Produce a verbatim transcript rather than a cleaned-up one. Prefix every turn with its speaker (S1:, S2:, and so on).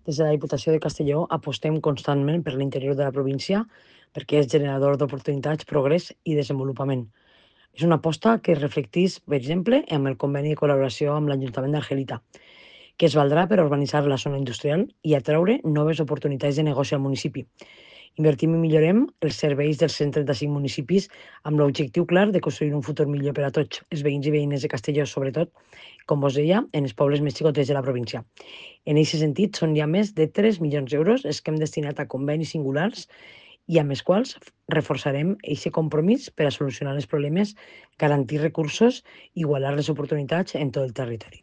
S1: Des de la Diputació de Castelló apostem constantment per l'interior de la província perquè és generador d'oportunitats, progrés i desenvolupament. És una aposta que es reflecteix, per exemple, amb el conveni de col·laboració amb l'Ajuntament d'Argelita, que es valdrà per urbanitzar la zona industrial i atraure noves oportunitats de negoci al municipi. Invertim i millorem els serveis dels cent trenta-cinc municipis amb l'objectiu clar de construir un futur millor per a tots, els veïns i veïnes de Castelló, sobretot, com vos deia, en els pobles més xicotets de la província. En aquest sentit, són ja més de tres milions d'euros els que hem destinat a convenis singulars i amb els quals reforçarem aquest compromís per a solucionar els problemes, garantir recursos i igualar les oportunitats en tot el territori.